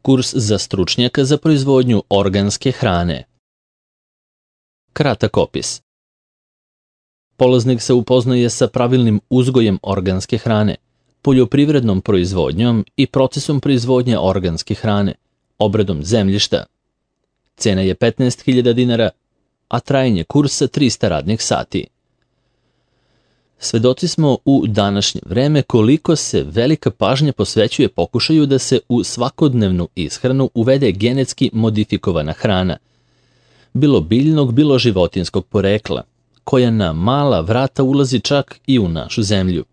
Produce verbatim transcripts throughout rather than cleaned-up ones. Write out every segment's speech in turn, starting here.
Kurs za stručnjaka za proizvodnju organske hrane. Kratak opis. Polaznik se upoznaje sa pravilnim uzgojem organske hrane, poljoprivrednom proizvodnjom i procesom proizvodnje organske hrane, obradom zemljišta. Cena je petnaest hiljada dinara, a trajanje kursa trista radnih sati. Svedoci smo u današnje vreme koliko se velika pažnja posvećuje pokušaju da se u svakodnevnu ishranu uvede genetski modifikovana hrana, bilo biljnog, bilo životinskog porekla, koja na mala vrata ulazi čak i u našu zemlju.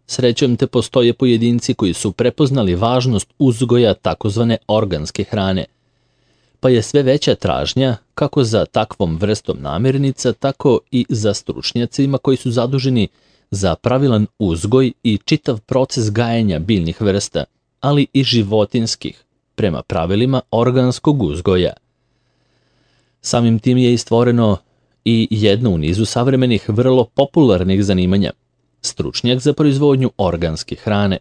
Srećom te postoje pojedinci koji su prepoznali važnost uzgoja takozvane organske hrane, pa je sve veća tražnja kako za takvom vrstom namirnica, tako i za stručnjacima koji su zaduženi za pravilan uzgoj i čitav proces gajenja biljnih vrsta, ali i životinskih, prema pravilima organskog uzgoja. Samim tim je istvoreno i jedno u nizu savremenih vrlo popularnih zanimanja, stručnjak za proizvodnju organske hrane.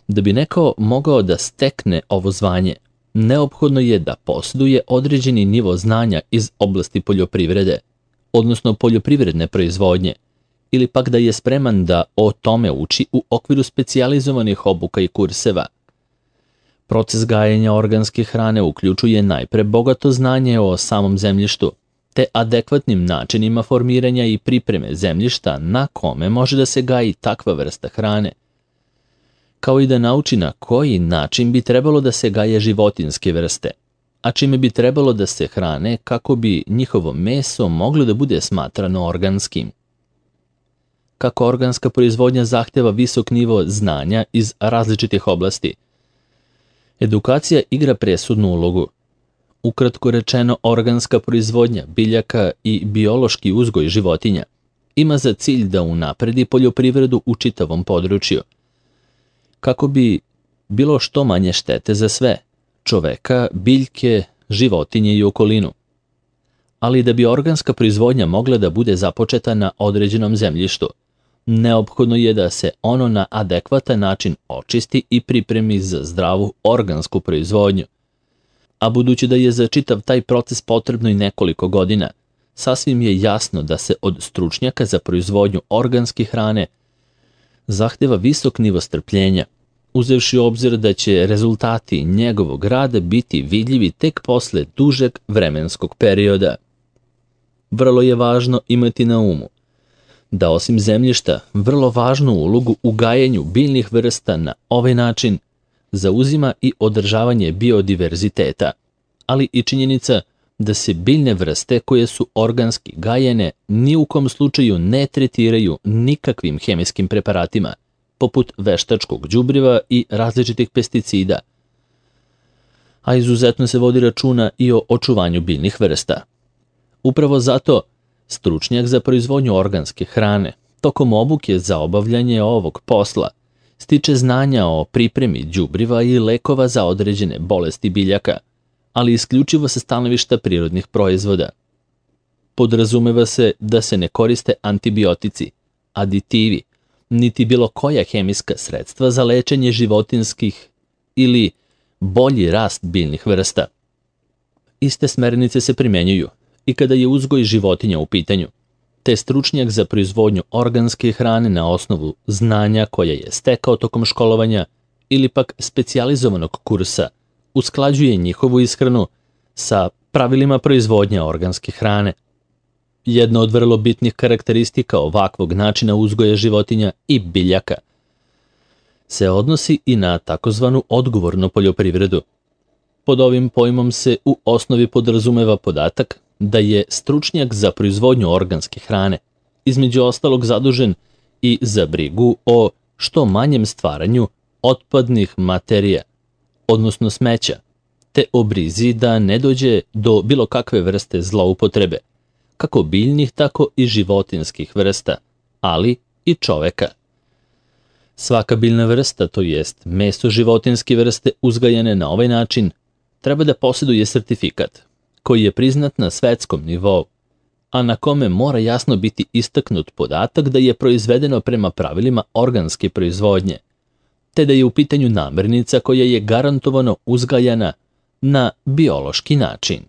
Da bi neko mogao da stekne ovo zvanje, neophodno je da posjeduje određeni nivo znanja iz oblasti poljoprivrede, odnosno poljoprivredne proizvodnje, ili pak da je spreman da o tome uči u okviru specijalizovanih obuka i kurseva. Proces gajenja organske hrane uključuje najpre bogato znanje o samom zemljištu, te adekvatnim načinima formiranja i pripreme zemljišta na kome može da se gaji takva vrsta hrane, kao i da nauči na koji način bi trebalo da se gaje životinske vrste, a čime bi trebalo da se hrane kako bi njihovo meso moglo da bude smatrano organskim. Kako organska proizvodnja zahteva visok nivo znanja iz različitih oblasti, edukacija igra presudnu ulogu. Ukratko rečeno, organska proizvodnja biljaka i biološki uzgoj životinja ima za cilj da unapredi poljoprivredu u čitavom području, kako bi bilo što manje štete za sve, čoveka, biljke, životinje i okolinu. Ali da bi organska proizvodnja mogla da bude započeta na određenom zemljištu, neophodno je da se ono na adekvatan način očisti i pripremi za zdravu organsku proizvodnju. A budući da je za čitav taj proces potrebno i nekoliko godina, sasvim je jasno da se od stručnjaka za proizvodnju organske hrane zahteva visok nivo strpljenja, uzevši u obzir da će rezultati njegovog rada biti vidljivi tek posle dužeg vremenskog perioda. Vrlo je važno imati na umu da osim zemljišta vrlo važnu ulogu u gajenju biljnih vrsta na ovaj način zauzima i održavanje biodiverziteta, ali i činjenica da se biljne vrste koje su organski gajene ni u kom slučaju ne tretiraju nikakvim hemijskim preparatima, poput veštačkog đubriva i različitih pesticida, a izuzetno se vodi računa i o očuvanju biljnih vrsta. Upravo zato stručnjak za proizvodnju organske hrane tokom obuke za obavljanje ovog posla stiče znanja o pripremi đubriva i lekova za određene bolesti biljaka, ali isključivo sa stanovišta prirodnih proizvoda. Podrazumeva se da se ne koriste antibiotici, aditivi, niti bilo koja hemijska sredstva za lečenje životinskih ili bolji rast biljnih vrsta. Iste smernice se primenjuju i kada je uzgoj životinja u pitanju, te stručnjak za proizvodnju organske hrane na osnovu znanja koje je stekao tokom školovanja ili pak specijalizovanog kursa usklađuje njihovu ishranu sa pravilima proizvodnje organske hrane. Jedna od vrlo bitnih karakteristika ovakvog načina uzgoja životinja i biljaka se odnosi i na takozvanu odgovornu poljoprivredu. Pod ovim pojmom se u osnovi podrazumeva podatak da je stručnjak za proizvodnju organske hrane između ostalog zadužen i za brigu o što manjem stvaranju otpadnih materija, odnosno smeća, te o brizi da ne dođe do bilo kakve vrste zloupotrebe, kako biljnih, tako i životinskih vrsta, ali i čoveka. Svaka biljna vrsta, to jest meso životinske vrste uzgajane na ovaj način, treba da posjeduje sertifikat, koji je priznat na svetskom nivou, a na kome mora jasno biti istaknut podatak da je proizvedeno prema pravilima organske proizvodnje, te da je u pitanju namirnica koja je garantovano uzgajana na biološki način.